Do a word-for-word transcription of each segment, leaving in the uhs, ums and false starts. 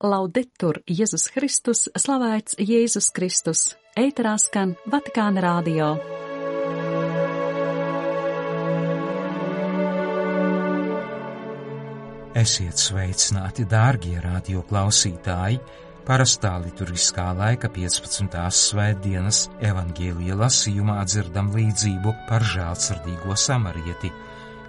Laudetur Jēzus Kristus, slavēts Jēzus Kristus, ēterā skan Vatikāna radio. Esiet sveicināti, dārgie radio klausītāji! Parastā liturgiskā laika piecpadsmitās svētdienas evaņģēlija lasījumā dzirdam līdzību par žēlsirdīgo samarieti.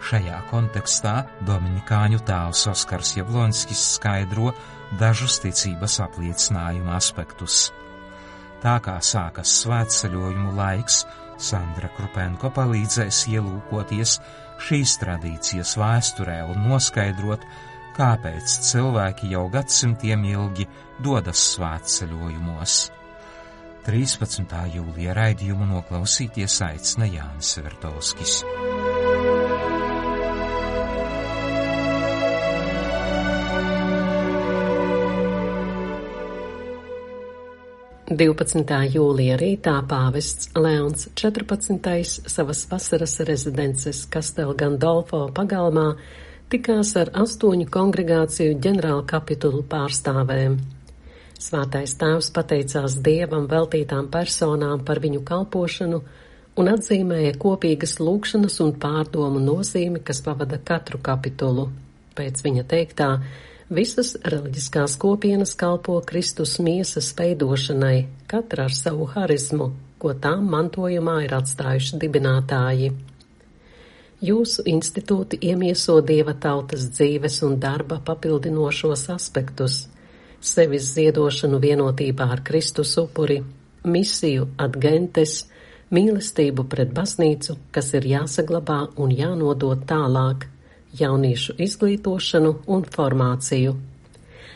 Šajā kontekstā dominikāņu tēvs Oskars Jablonskis skaidro dažus ticības apliecinājuma aspektus. Tā kā sākas svētceļojumu laiks, Sandra Krupenko palīdzēs ielūkoties šīs tradīcijas vēsturē un noskaidrot, kāpēc cilvēki jau gadsimtiem ilgi dodas svētceļojumos. trīspadsmitā jūlija raidījumu noklausīties aicina Jānis Vertovskis. divpadsmitā jūlija rītā pāvests Leons četrpadsmitais savas vasaras rezidences Castel Gandolfo pagalmā tikās ar astoņu kongregāciju ģenerālkapitulu pārstāvēm. Svētais tēvs pateicās Dievam veltītām personām par viņu kalpošanu un atzīmēja kopīgas lūgšanas un pārdomu nozīmi, kas pavada katru kapitulu. Pēc viņa teiktā, visas reliģiskās kopienas kalpo Kristus miesas veidošanai, katra ar savu harizmu, ko tām mantojumā ir atstājuši dibinātāji. Jūsu institūti iemieso Dieva tautas dzīves un darba papildinošos aspektus, sevis ziedošanu vienotībā ar Kristus upuri, misiju ad gentes, mīlestību pret baznīcu, kas ir jāsaglabā un jānodod tālāk, jauniešu izglītošanu un formāciju.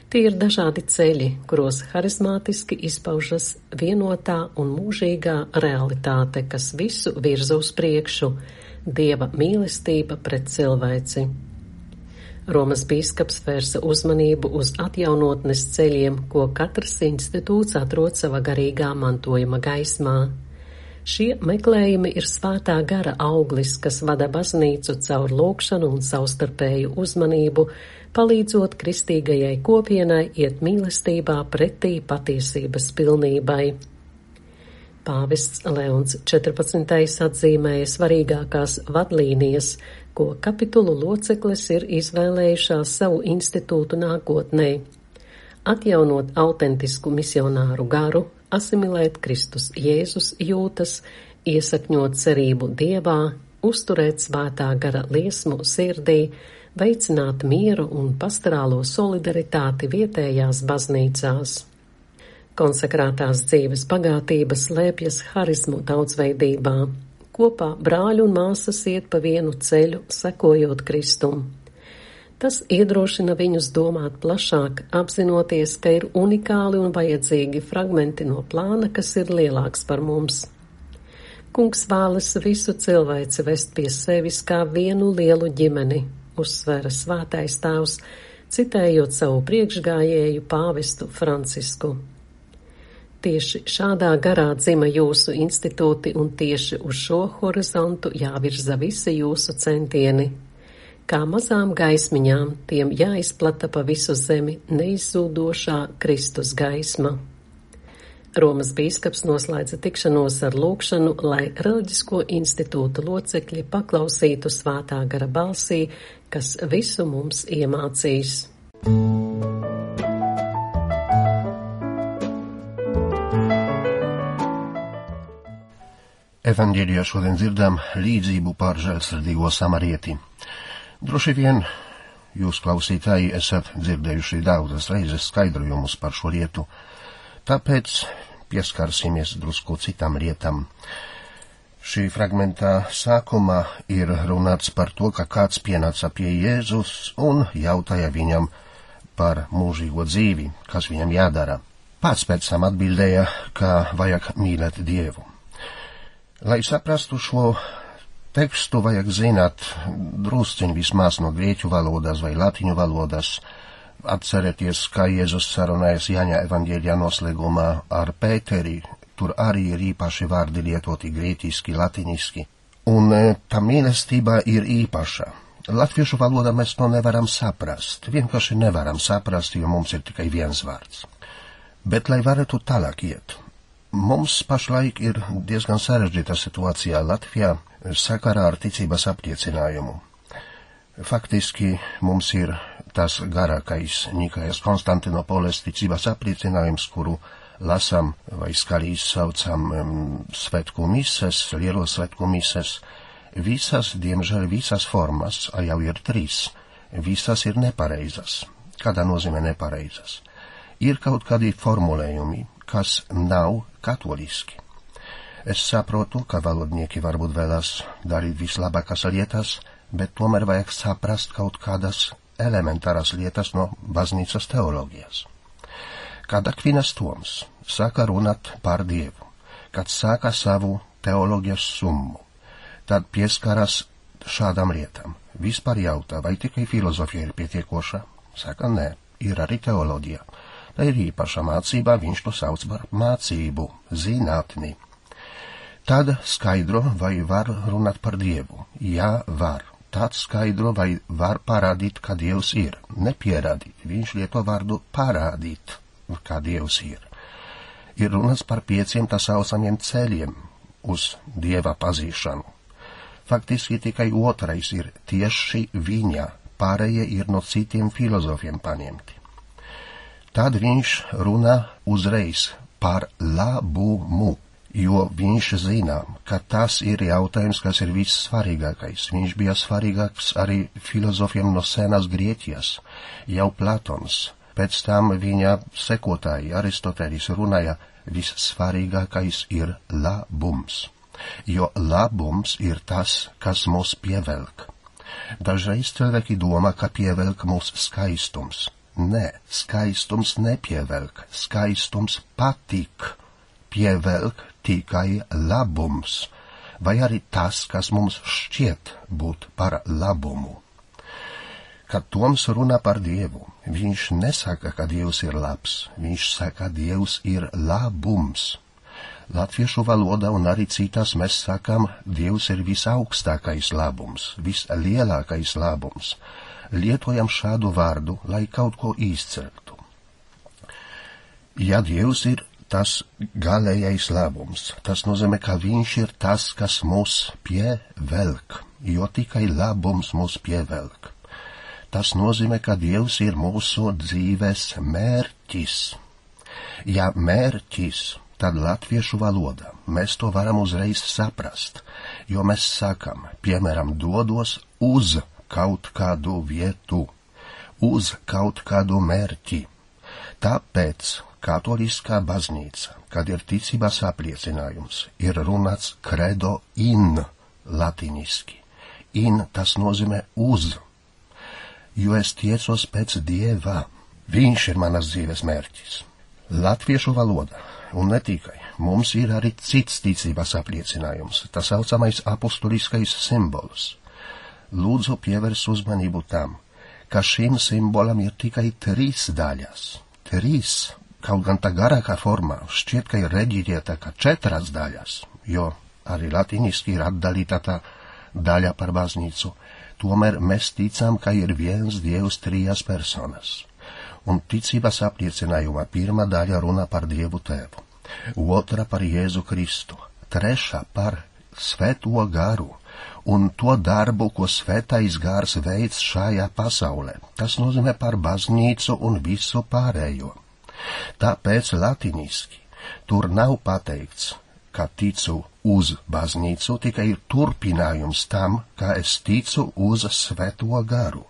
Tie ir dažādi ceļi, kuros harizmātiski izpaužas vienotā un mūžīgā realitāte, kas visu virza uz priekšu, Dieva mīlestība pret cilvēci. Romas bīskaps vērsa uzmanību uz atjaunotnes ceļiem, ko katrs institūts atrod sava garīgā mantojuma gaismā. Šie meklējumi ir svētā gara auglis, kas vada baznīcu caur lūgšanu un savstarpēju uzmanību, palīdzot kristīgajai kopienai iet mīlestībā pretī patiesības pilnībai. Pāvests Leons četrpadsmitais atzīmēja svarīgākās vadlīnijas, ko kapitulu locekles ir izvēlējušās savu institūtu nākotnē. Atjaunot autentisku misionāru garu, asimilēt Kristus Jēzus jūtas, iesakņot cerību Dievā, uzturēt svētā gara liesmu sirdī, veicināt mieru un pastorālo solidaritāti vietējās baznīcās. Konsekrātās dzīves bagātība slēpjas harizmu daudzveidībā. Kopā brāļi un māsas iet pa vienu ceļu, sekojot Kristum. Tas iedrošina viņus domāt plašāk, apzinoties, ka ir unikāli un vajadzīgi fragmenti no plāna, kas ir lielāks par mums. Kungs vēlas visu cilvēci vest pie sevis kā vienu lielu ģimeni, uzsvēra svētais tēvs, citējot savu priekšgājēju pāvestu Francisku. Tieši šādā garā dzima jūsu institūti un tieši uz šo horizontu jāvirza visi jūsu centieni. Kā mazām gaismiņām tiem jāizplata pa visu zemi neizzūdošā Kristus gaisma. Romas bīskaps noslēdza tikšanos ar lūgšanu, lai reliģisko institūtu locekļi paklausītu svētā gara balsī, kas visu mums iemācīs. Evaņģēlijā šodien dzirdam līdzību par žēlsirdīgo samarieti. Droši vien jūs, klausītāji, esat dzirdējuši daudzas reizes skaidrojumus par šo lietu, tāpēc pieskarsimies drusku citam lietam. Šī fragmentā sākumā ir runāts par to, ka kāds pienāca pie Jēzus un jautāja viņam par mūžīgo dzīvi, kas viņam jādara. Pats pēc tam atbildēja, ka vajag mīlēt Dievu. Lai saprastu šo tekstu, vajag zināt drusciņ vismaz no grieķu valodas vai latiņu valodas. Atcerieties, kā Jēzus sarunājas Jāņa evaņģēlijā noslēgumā ar Pēteri, tur arī ir īpaši vārdi lietoti grieķiski, latiniski. Un tā mīlestība ir īpaša. Latviešu valodā mēs to nevaram saprast, vienkārši nevaram saprast, jo mums ir tikai viens vārds. Bet, lai varētu tālāk iet, mums pašlaik ir diezgan sarežģīta situācijā Latvijā sakarā ar ticības apliecinājumu. Faktiski mums ir tas garākais Nikajas Konstantinopoles ticības apliecinājums, kuru lasam vai skaļi izsaucam um, svētku mises, lielo svētku mises. Visas, diemžēl, visas formas, a jau ir trīs, visas ir nepareizas. Kādā nozīmē nepareizas? Ir kaut kādi formulējumi, kas nav katoliski. Es saprotu, ka valodnieki varbūt vēlas darīt vislabākās lietas, bet tomēr vajag saprast kaut kādas elementāras lietas no baznīcas teoloģijas. Kad Akvinas Toms sāka runāt par Dievu, kad sāka savu teoloģijas summu, tad pieskaras šādām lietām. Vispār jautā, vai tikai filozofija ir pietiekoša? Saka, nē, ir arī teoloģija. Tā ir īpaša mācība, viņš to sauc par mācību, zinātni. Tad skaidro, vai var runāt par Dievu. Jā, var. Tad skaidro, vai var parādīt, ka Dievs ir. Nepierādīt. Viņš lieto vārdu parādīt, ka Dievs ir. Ir runas par pieciem tā saucamiem ceļiem uz Dieva pazīšanu. Faktiski tikai otrais ir tieši viņa, pārējie ir no citiem filozofiem paņemti. Tad viņš runā uzreiz par labumu, jo viņš zina, ka tas ir jautājums, kas ir vissvarīgākais. Viņš bija svarīgāks arī filozofiem no senās Grieķijas, jau Platons. Pēc tam viņa sekotāji Aristotelis runāja, vissvarīgākais ir labums, jo labums ir tas, kas mūs pievelk. Dažreiz cilvēki domā, ka pievelk mūs skaistums. Nē, skaistums nepievelk, skaistums patīk. Pievelk tikai labums, vai arī tas, kas mums šķiet būt par labumu. Kad Toms runā par Dievu, viņš nesaka, ka Dievs ir labs, viņš saka, Dievs ir labums. Latviešu valodā un arī citās mēs sakam, Dievs ir visaugstākais labums, vislielākais labums. Lietojam šādu vārdu, lai kaut ko izceltu. Ja Dievs ir tas galējais labums, tas nozīmē, ka viņš ir tas, kas mūs pievelk, jo tikai labums mūs pievelk. Tas nozīmē, ka Dievs ir mūsu dzīves mērķis. Ja mērķis, tad latviešu valodā mēs to varam uzreiz saprast, jo mēs sakam, piemēram, dodos uz kaut kādu vietu, uz kaut kādu mērķi. Tāpēc katoliskā baznīca, kad ir ticības apliecinājums, ir runāts credo in latiniski. In tas nozīmē uz, jo es tiecos pēc Dieva. Viņš ir manas dzīves mērķis. Latviešu valoda, un ne tikai, mums ir arī cits ticības apliecinājums, tas saucamais apustuliskais simbols. Lūdzu pievērs uzmanību tam, ka šim simbolam ir tikai trīs daļas. Trīs, kaut gan tā garākā formā, šķiet, ka ir reģiģēta kā četras daļas, jo arī latiniski ir atdalīta tā daļa par baznīcu. Tomēr mēs ticam, ka ir viens Dievs trijas personas. Un ticības apliecinājumā pirmā daļa runā par Dievu Tēvu, otra par Jēzu Kristu, trešā par Svēto garu un to darbu, ko Svētais gars veids šajā pasaulē. Tas nozīmē par baznīcu un visu pārējo. Tāpēc latiniski tur nav pateikts, ka ticu uz baznīcu, tikai ir turpinājums tam, ka es ticu uz Svēto garu.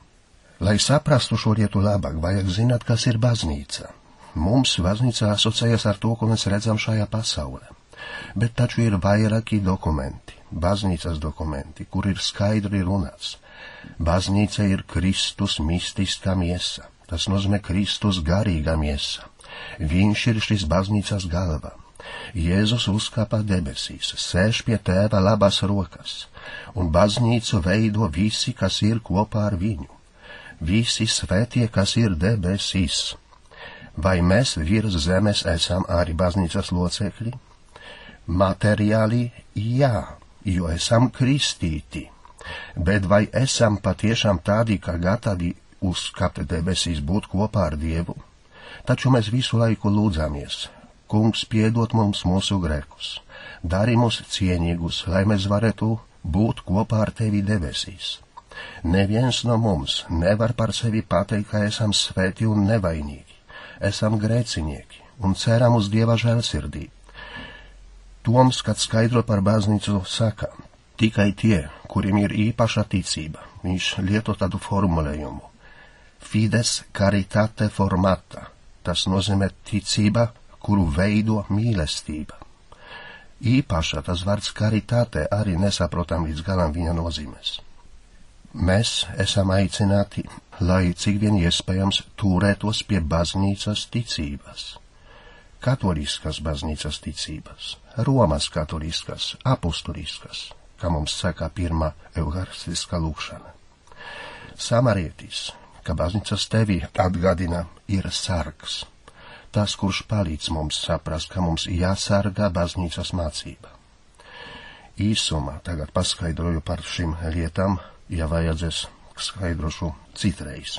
Lai saprastu šo lietu labāk, vajag zināt, kas ir baznīca. Mums baznīca asociējas ar to, ko mēs redzam šajā pasaulē. Bet taču ir vairāki dokumenti, baznīcas dokumenti, kur ir skaidri runāts. Baznīca ir Kristus mistiskā miesa, tas nozīmē Kristus garīgā miesa. Viņš ir šis baznīcas galva. Jēzus uzkāpa debesīs, sēž pie Tēva labās rokas, un baznīcu veido visi, kas ir kopā ar viņu. Visi svētie, kas ir debesīs. Vai mēs virs zemes esam arī baznīcas locekļi? Materiāli jā, jo esam kristīti. Bet vai esam patiešām tādi, kā gatavi uzkāpt debesīs būt kopā ar Dievu? Taču mēs visu laiku lūdzamies: Kungs, piedod mums mūsu grēkus, dari mūs cienīgus, lai mēs varētu būt kopā ar Tevi debesīs. Neviens no mums nevar par sevi pateikt, ka esam svēti un nevainīgi. Esam grēcinieki un ceram uz Dieva žēlsirdību. Toms, kad skaidro par baznīcu, saka: tikai tie, kuriem ir īpaša ticība, viņš lieto tādu formulējumu: fides caritate formata. Tas nozīmē ticība, kuru veido mīlestība. Īpaša tas vārds caritate arī nesaprotam līdz galam viņa nozīmes. Mēs esam aicināti, lai cik vien iespējams turētos pie baznīcas ticības. Katoliskas baznīcas ticības, Romas katoliskas, apustuliskas, kā mums saka pirmā euharistiskā lūkšana. Samarietis, ka baznīcas tevi atgādina, ir sargs. Tas, kurš palīdz mums saprast, ka mums jāsargā baznīcas mācība. Īsumā tagad paskaidroju par šīm lietām, ja vajadzēs skaidrošu citreiz.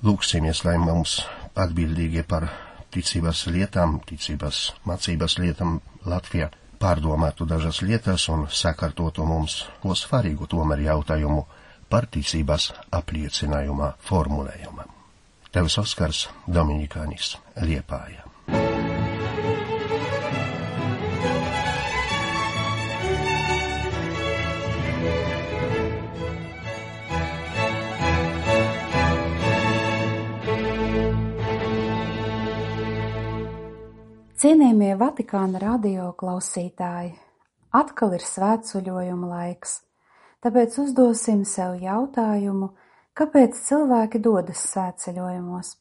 Lūksimies, lai mums atbildīgi par ticības lietām, ticības mācības lietām Latvijā pārdomātu dažas lietas un sakārtotu mums ko svarīgu tomēr jautājumu par ticības apliecinājuma formulējumam. Tevs Oskars Dominikānis, Liepāja. Cienījamie Vatikāna radio klausītāji, atkal ir svētceļojuma laiks, tāpēc uzdosim sev jautājumu, kāpēc cilvēki dodas svētceļojumos.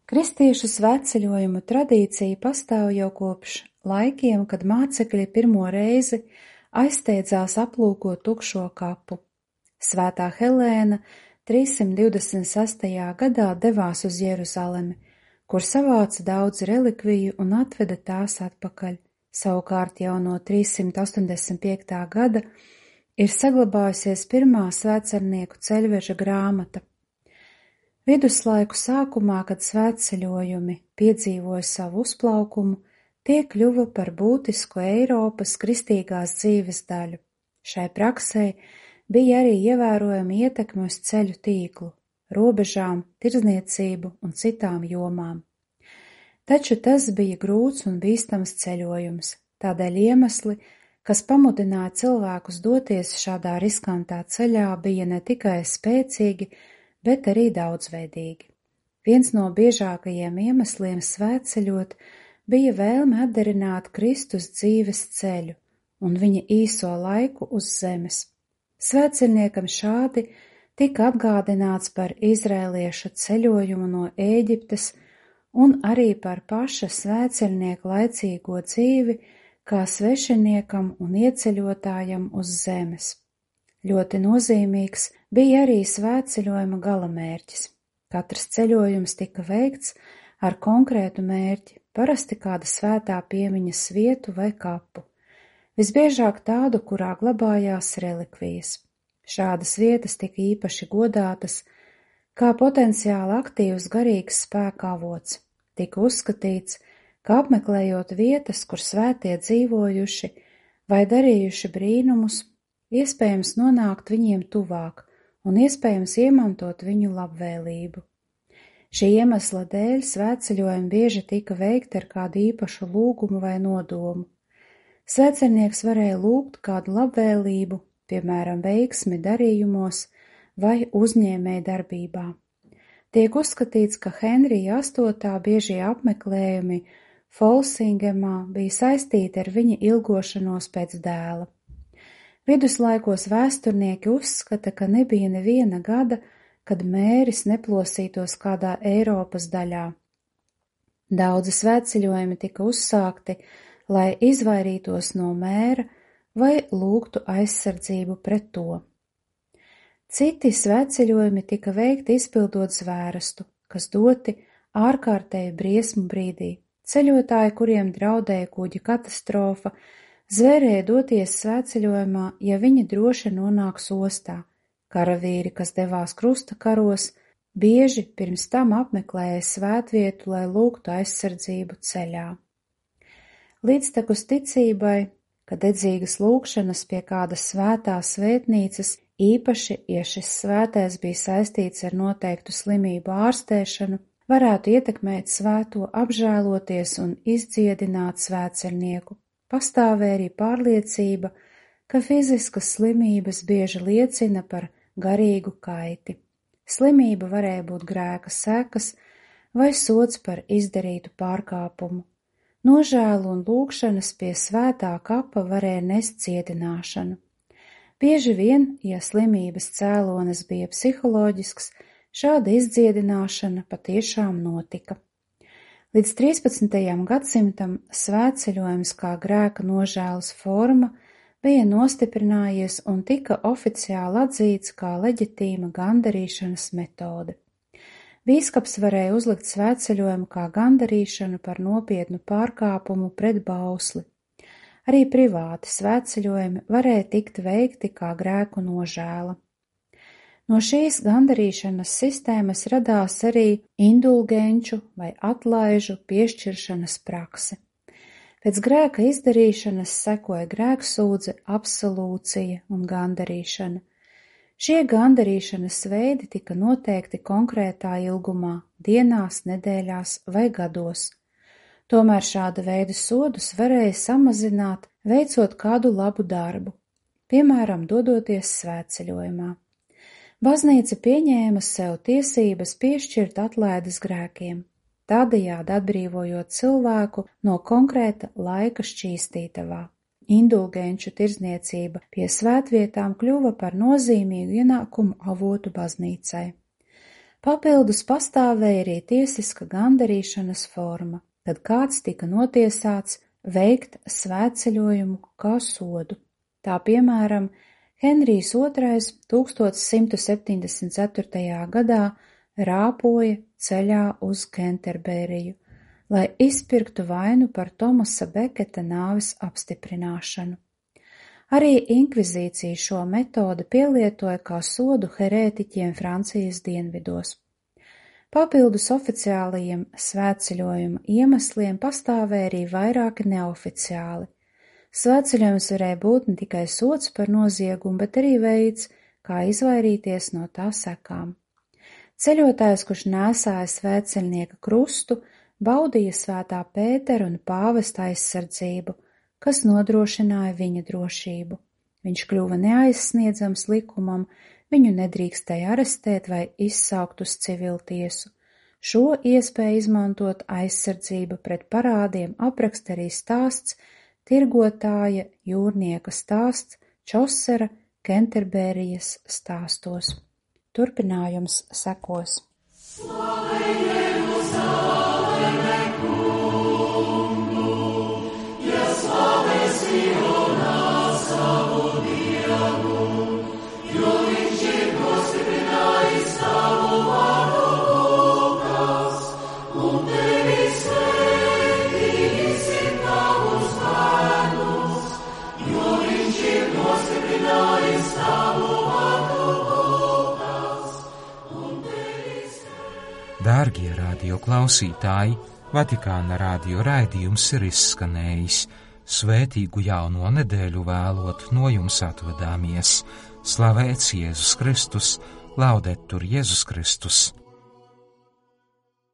Kristiešu svētceļojumu tradīcija pastāv jau kopš laikiem, kad mācekļi pirmo reizi aizsteidzās aplūkot tukšo kapu. Svētā Helēna trīssimt divdesmit sestajā gadā devās uz Jeruzalemi, kur savāca daudz relikviju un atveda tās atpakaļ. Savukārt jau no trīssimt astoņdesmit piektā gada ir saglabājusies pirmā svētcernieku ceļveža grāmata. Viduslaiku sākumā, kad svētceļojumi piedzīvoja savu uzplaukumu, tie kļuva par būtisku Eiropas kristīgās dzīves daļu. Šai praksei bija arī ievērojama ietekme uz ceļu tīklu, robežām, tirdzniecību un citām jomām. Taču tas bija grūts un bīstams ceļojums, tādēļ iemesli, kas pamudināja cilvēkus doties šādā riskantā ceļā, bija ne tikai spēcīgi, bet arī daudzveidīgi. Viens no biežākajiem iemesliem svētceļot bija vēlme atdarināt Kristus dzīves ceļu un viņa īso laiku uz zemes. Svētceļniekam šādi tika atgādināts par izrēliešu ceļojumu no Ēģiptes un arī par paša svētceļnieka laicīgo dzīvi kā svešiniekam un ieceļotājam uz zemes. Ļoti nozīmīgs bija arī svētceļojuma galamērķis. Katrs ceļojums tika veikts ar konkrētu mērķi, parasti kāda svētā piemiņas vietu vai kapu. Visbiežāk tādu, kurā glabājās relikvijas. Šādas vietas tika īpaši godātas, kā potenciāli aktīvs garīgs spēka avots. Tika uzskatīts, ka apmeklējot vietas, kur svētie dzīvojuši vai darījuši brīnumus, iespējams nonākt viņiem tuvāk un iespējams iemantot viņu labvēlību. Šī iemesla dēļ svētceļojumi bieži tika veikti ar kādu īpašu lūgumu vai nodomu. Svētceļnieks varēja lūgt kādu labvēlību, piemēram, veiksmi darījumos vai uzņēmēju darbībā. Tiek uzskatīts, ka Henrija astotā biežie apmeklējumi Folsingemā bija saistīti ar viņa ilgošanos pēc dēla. Viduslaikos vēsturnieki uzskata, ka nebija neviena gada, kad mēris neplosītos kādā Eiropas daļā. Daudzi svētceļojumi tika uzsākti, lai izvairītos no mēra vai lūgtu aizsardzību pret to. Citi svētceļojumi tika veikti izpildot zvērestu, kas doti ārkārtēju briesmu brīdī. Ceļotāji, kuriem draudēja kuģa katastrofa Zvērēja doties svētceļojumā, ja viņi droši nonāks ostā. Karavīri, kas devās krusta karos, bieži pirms tam apmeklēja svētvietu, lai lūgtu aizsardzību ceļā. Līdztekus ticībai, ka dedzīgas lūgšanas pie kādas svētās svētnīcas, īpaši, ja šis svētais bija saistīts ar noteiktu slimību ārstēšanu, varētu ietekmēt svēto, apžēloties un izdziedināt svētceļnieku. Pastāvēja arī pārliecība, ka fiziskas slimības bieži liecina par garīgu kaiti. Slimība varēja būt grēka sekas vai sods par izdarītu pārkāpumu. Nožēlu un lūgšanas pie svētā kapa varēja nest cietināšanu. Bieži vien, ja slimības cēlonis bija psiholoģisks, šāda izdziedināšana patiešām notika. Līdz trīspadsmitajam gadsimtam svētceļojums kā grēka nožēlas forma bija nostiprinājies un tika oficiāli atzīts kā leģitīma gandarīšanas metode. Bīskaps varēja uzlikt svētceļojumu kā gandarīšanu par nopietnu pārkāpumu pret bausli. Arī privāti svētceļojumi varēja tikt veikti kā grēku nožēla. No šīs gandarīšanas sistēmas radās arī indulgenču vai atlaižu piešķiršanas prakse. Pēc grēka izdarīšanas sekoja grēksūdze, absolūcija un gandarīšana. Šie gandarīšanas veidi tika noteikti konkrētā ilgumā, dienās, nedēļās vai gados. Tomēr šāda veida sodus varēja samazināt, veicot kādu labu darbu, piemēram, dodoties svētceļojumā. Baznīca pieņēma sev tiesības piešķirt atlaides grēkiem, tādējādi atbrīvojot cilvēku no konkrēta laika šķīstītavā. Indulgenču tirdzniecība pie svētvietām kļuva par nozīmīgu ienākumu avotu baznīcai. Papildus pastāvēja arī tiesiska gandarīšanas forma, kad kāds tika notiesāts veikt svētceļojumu kā sodu. Tā piemēram, Henrijs otrais tūkstoš simts septiņdesmit ceturtajā gadā rāpoja ceļā uz Kenterberiju, lai izpirktu vainu par Tomasa Beketa nāves apstiprināšanu. Arī inkvizīcija šo metodi pielietoja kā sodu herētiķiem Francijas dienvidos. Papildus oficiālajiem svētceļojuma iemesliem pastāvēja arī vairāki neoficiāli. Svētceļojums varēja būt ne tikai sods par noziegumu, bet arī veids, kā izvairīties no tā sekām. Ceļotājs, kurš nēsāja svētceļnieka krustu, baudīja svētā Pētera un pāvesta aizsardzību, kas nodrošināja viņa drošību. Viņš kļuva neaizsniedzams likumam, viņu nedrīkstēja arestēt vai izsaukt uz civiltiesu. Šo iespēju izmantot aizsardzību pret parādiem apraksta arī stāsts tirgotāja jūrnieka stāsts Čosera Kenterberijas stāstos. Turpinājums sekos. Dārgie radio klausītāji, Vatikāna radio raidījums ir izskanējis. Svētīgu jauno nedēļu vēlot no jums atvadāmies. Slavēts Jēzus Kristus, laudetur Jēzus Kristus!